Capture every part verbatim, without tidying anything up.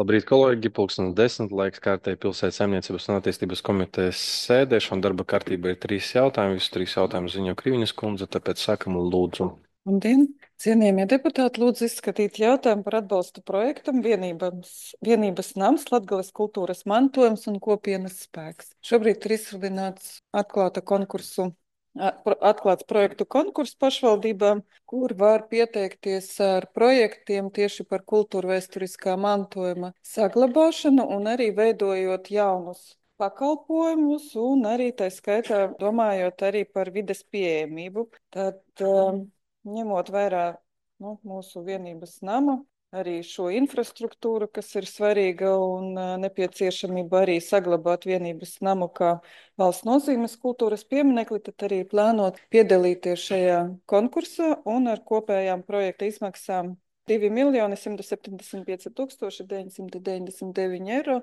Labrīt, kolēģi! Pulkstenis desmit laiks kārtēji pilsētas saimniecības un attīstības komitejas sēdēšana. Darba kārtībā ir trīs jautājumi. Visus trīs jautājumus ziņo Kriviņas kundze, tāpēc sākam lūdzu. Labdien! Cienījamie deputāti, lūdzu izskatīt jautājumu par atbalstu projektam Vienības, vienības nams, Latgales kultūras mantojums un kopienas spēks. Šobrīd ir izsludināts atklāta konkursu, a- pro- atklāts projektu konkurss pašvaldībām, kur var pieteikties ar projektiem tieši par kultūra vēsturiskā mantojuma saglabāšanu un arī veidojot jaunus pakalpojumus un arī tā skaitā domājot arī par vides pieejamību. Tad, um, ņemot vērā nu, mūsu vienības nama, arī šo infrastruktūru, kas ir svarīga un uh, nepieciešamība arī saglabāt vienības namu kā valsts nozīmes kultūras pieminekli, tad arī plānot piedalīties šajā konkursā un ar kopējām projekta izmaksām divi miljoni simt septiņdesmit pieci tūkstoši deviņsimt deviņdesmit deviņi eiro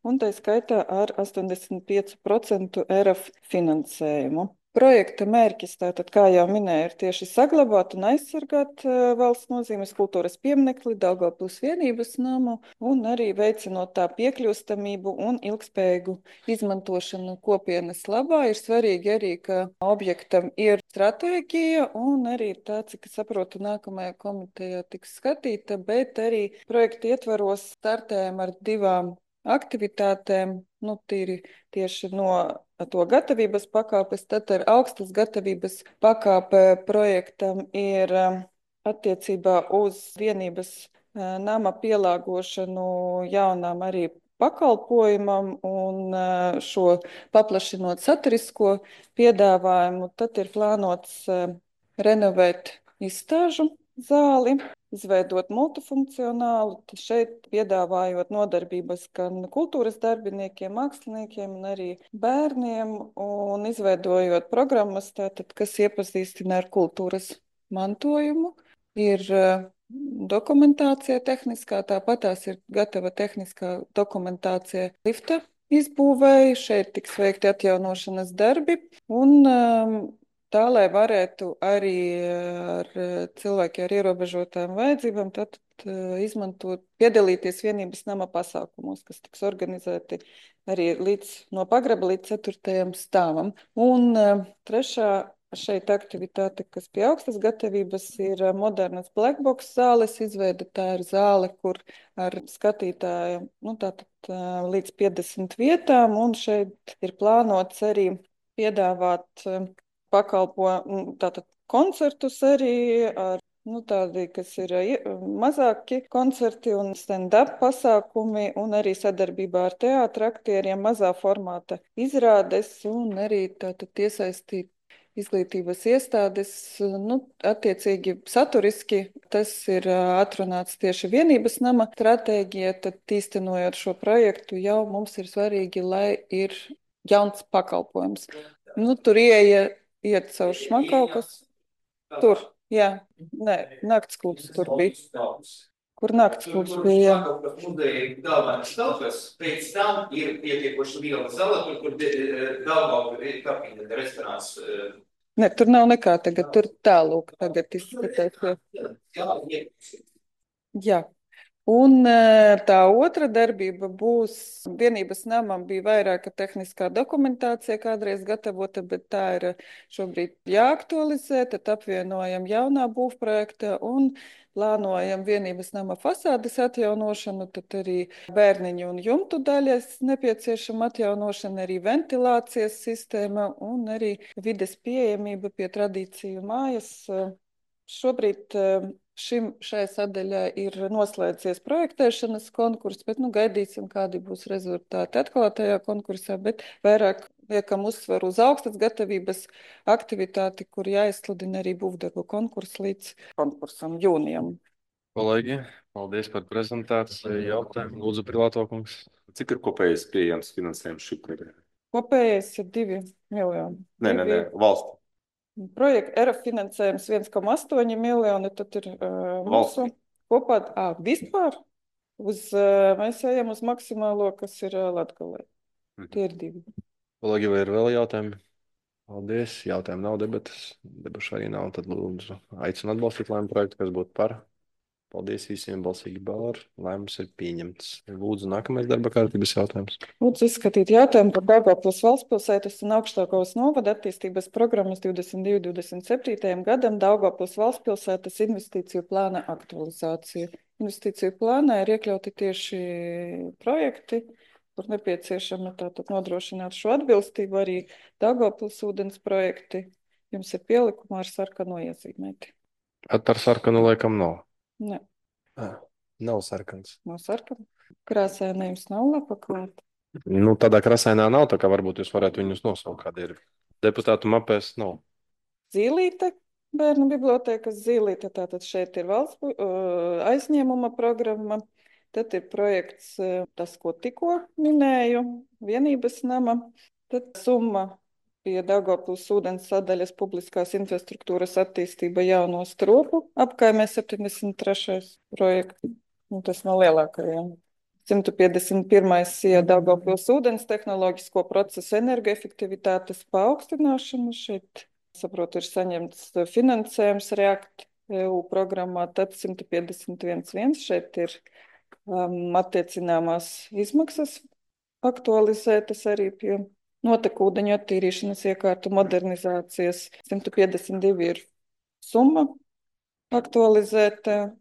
un tā skaitā ar astoņdesmit pieci procenti E R F finansējumu. Projekta mērķis, tātad, kā jau minēju, ir tieši saglabāt un aizsargāt uh, valsts nozīmes kultūras pieminekli Daugavpils vienības namu un arī veicinot tā piekļūstamību un ilgspējīgu izmantošanu kopienas labā. Ir svarīgi arī, ka objektam ir stratēģija un arī tā, cik es saprotu, nākamajā komitejā tiks skatīta, bet arī projekta ietvaros startējam ar divām aktivitātēm, nu, tīri tieši no to gatavības pakāpes, tad ar augstas gatavības pakāpe projektam ir um, attiecībā uz vienības uh, nama pielāgošanu jaunām arī pakalpojumam un uh, šo paplašinot saturisko piedāvājumu, tad ir plānots uh, renovēt izstāžu zāli, izveidot multifunkcionālu, tad šeit piedāvājot nodarbības gan kultūras darbiniekiem, māksliniekiem un arī bērniem un izveidojot programmas, tātad, kas iepazīstina ar kultūras mantojumu. Ir uh, dokumentācija tehniskā, tāpat tās ir gatava tehniskā dokumentācija lifta izbūvēja, šeit tiks veikti atjaunošanas darbi un um, tā, lai varētu arī ar cilvēkiem ar ierobežotām vajadzībām tad, uh, izmantot, piedalīties vienības nama pasākumos, kas tiks organizēti arī līdz, no pagraba līdz ceturtajam stāvam. Un uh, trešā šeit aktivitāte, kas pie augstas gatavības, ir uh, modernas blackbox zāles izveida. Tā ir zāle, kur ar skatītāju, nu, tātad uh, līdz piecdesmit vietām, un šeit ir plānots arī piedāvāt uh, pakalpo tātad koncertus arī ar nu, tādi, kas ir mazāki koncerti un stand-up pasākumi un arī sadarbībā ar teātra aktieriem mazā formāta izrādes un arī tātad iesaistīt izglītības iestādes, nu, attiecīgi saturiski tas ir atrunāts tieši vienības nama stratēģija, tad īstenojot šo projektu jau mums ir svarīgi, lai ir jauns pakalpojums. Nu, tur ieeja iet caur šmakaukas. Tur, jā, nē, nakts klubs tur bija. Kur nakts klubs bija, jā. Muzeja galvenais telpas, pēc tam ir pietiekoši liela zala, tur, kur Daugavpils ir kapina, restorāns. Ne, tur nav nekā tagad, tur tālūk tagad izskatās. Jā. Jā. Un tā otra darbība būs, vienības namam bija vairāka tehniskā dokumentācija kādreiz gatavota, bet tā ir šobrīd jāaktualizē, tad apvienojam jaunā būvprojekta un plānojam vienības nama fasādes atjaunošanu, tad arī bērniņu un jumtu daļas nepieciešama atjaunošana, arī ventilācijas sistēma un arī vides pieejamība pie tradīciju mājas. Šobrīd šim, šai sadaļai ir noslēdzies projektēšanas konkurss, bet nu, gaidīsim, kādi būs rezultāti atklātajā konkursā, bet vairāk liekam uzsvaru uz augstas gatavības aktivitāti, kur jāizsludina arī būvdarbu konkurss līdz konkursam jūnijam. Kolēģi, paldies par prezentāciju. Jautājumu lūdzu, Privāto kungs. Cik ir kopējais pieejams finansējums šī projekta? Kopējais ir divi miljoni. Nē, nē, nē, valsts. Projekta E R F finansējums viens komats astoņi miljoni, tad ir uh, mūsu kopā, ā, vispār, uz, uh, mēs ejam uz maksimālo, kas ir uh, Latgalē. Mhm. Tie ir divi. Kolēģi, vai ir vēl jautājumi? Paldies. Jautājumu nav, debatas. Debašu arī nav, tad lūdzu aicinu atbalstīt lēmumu projektu, kas būtu par. Paldies visiem balsīgi par. Lēmums ir pieņemts. Lūdzu, nākamais darba kārtības jautājums. Lūdzu izskatīt jautājumu par Daugavpils valstspilsētas un Augšdaugavas novada attīstības programmas divdesmit divi divdesmit septītajam gadam Daugavpils valstspilsētas investīciju plāna aktualizāciju. Investīciju plānā ir iekļauti tieši projekti, kur nepieciešama tātad nodrošināt šo atbilstību, arī Daugavpils ūdens projekti. Jums ir pielikumā ar sarkano iezīmēti. At ar sarkanu laikam nav. Ne, Ah, nav sarkans. nav sarkana. Krāsainējums nav lapa klāt. Nu, tādā krāsainā nav, tā kā varbūt jūs varētu viņus nosaukt, kādi ir. Deputātu mapēs nav. Zīlīte, bērnu bibliotēkas zīlīte, tātad šeit ir valsts uh, aizņēmuma programma, tad ir projekts, uh, tas, ko tikko minēju, vienības nama, tad summa pie Daugavpils ūdens sadaļas publiskās infrastruktūras attīstība jauno stropu apkaimē septiņdesmit trešais projekts, nu, tas no lielākajiem. simt piecdesmit pirmais ija Daugavpils ūdens tehnoloģisko procesu energoefektivitātes paaugstināšana. Šeit, saprotu, ir saņemts finansējums React E U programmā, tad simt piecdesmit viens viens. Šeit ir um, attiecināmās izmaksas aktualizētas arī pie notekūdeņu attīrīšanas iekārtu modernizācijas. simt piecdesmit divi ir summa aktualizēta.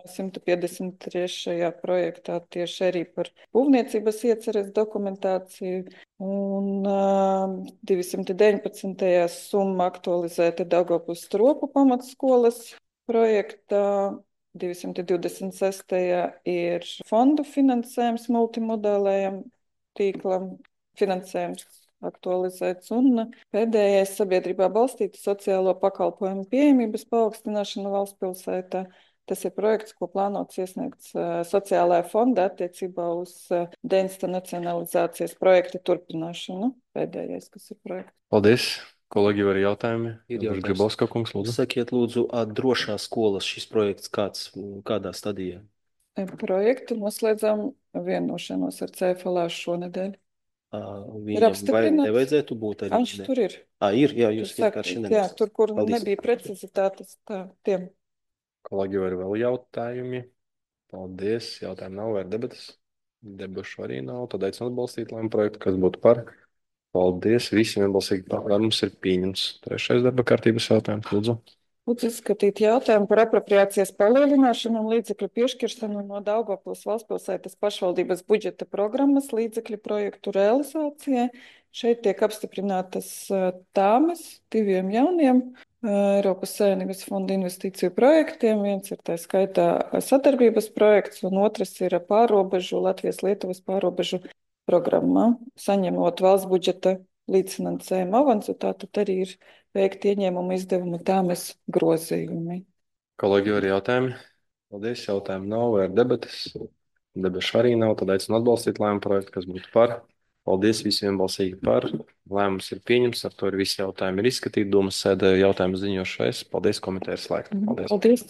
simt piecdesmit trešajā projektā tieši arī par būvniecības ieceres dokumentāciju. Un uh, divsimt deviņpadsmitajā summa aktualizēta Daugavpils stropu pamatskolas projektā. divsimt divdesmit sestajā ir fondu finansējums multimodālējam tīklam, finansējums aktualizēts, un pēdējais sabiedrībā balstīta sociālo pakalpojumu pieejamības paaugstināšana valsts pilsētā. Tas ir projekts, ko plānots iesniegts uh, sociālajā fonda attiecībā uz uh, deinstitucionalizācijas projekta turpināšanu. Pēdējais, kas ir projekts. Paldies. Kolēģi, var jautājumi? Ir jautājums. Gribovska kungs, lūdzu. Sakiet, lūdzu, ā, drošās skolas šis projekts kāds, kādā stadijā? E, Projektu noslēdzām vienošanos ar C F L šonedēļ. Ā, Ir Viņam vai apstiprināts. nevajadzētu būt arī? Aš ne? tur ir. Ā, ir, jā, jūs Tur vienkārši saka, jā, neminējāt. tur, kur Paldies. nebija precizitātes, tā, tiem. Kolēģi, vai ir vēl jautājumi? Paldies. Jautājumu nav, vai ir debatas? Debašu arī nav. Tad aicinu atbalstīt lēmumu projektu, kas būtu par. Paldies. Visiem vienbalsīgi par. Lēmums ir pieņemts. Trešais darba kārtības jautājums, lūdzu. Lūdzu izskatīt jautājumu par apropriācijas palielināšanu un līdzekļu piešķiršanu no Daugavpils valstspilsētas pašvaldības budžeta programmas līdzekļu projektu realizācijai. Šeit tiek apstiprinātas uh, tāmes diviem jauniem uh, Eiropas Savienības fonda investīciju projektiem. Viens ir tā skaitā sadarbības projekts, un otrs ir pārobežu, Latvijas-Lietuvas pārobežu programmā, saņemot valsts budžeta līdzfinansējumu avansu, tātad arī ir veikti ieņēmumu izdevumu tāmes grozījumi. Kolēģi, vai ir jautājumi? Paldies. Jautājumu nav, vai ir debatas? Debašu arī nav. Tad aicinu atbalstīt lēmumu projektu, kas būtu par. Paldies. Visiem vienbalsīgi par. Lēmums ir pieņemts. Ar to ir visi jautājumi ir izskatīti. Domas sēdē jautājumu ziņošu es. Paldies, komiteja ir slēgta. Paldies. Paldies!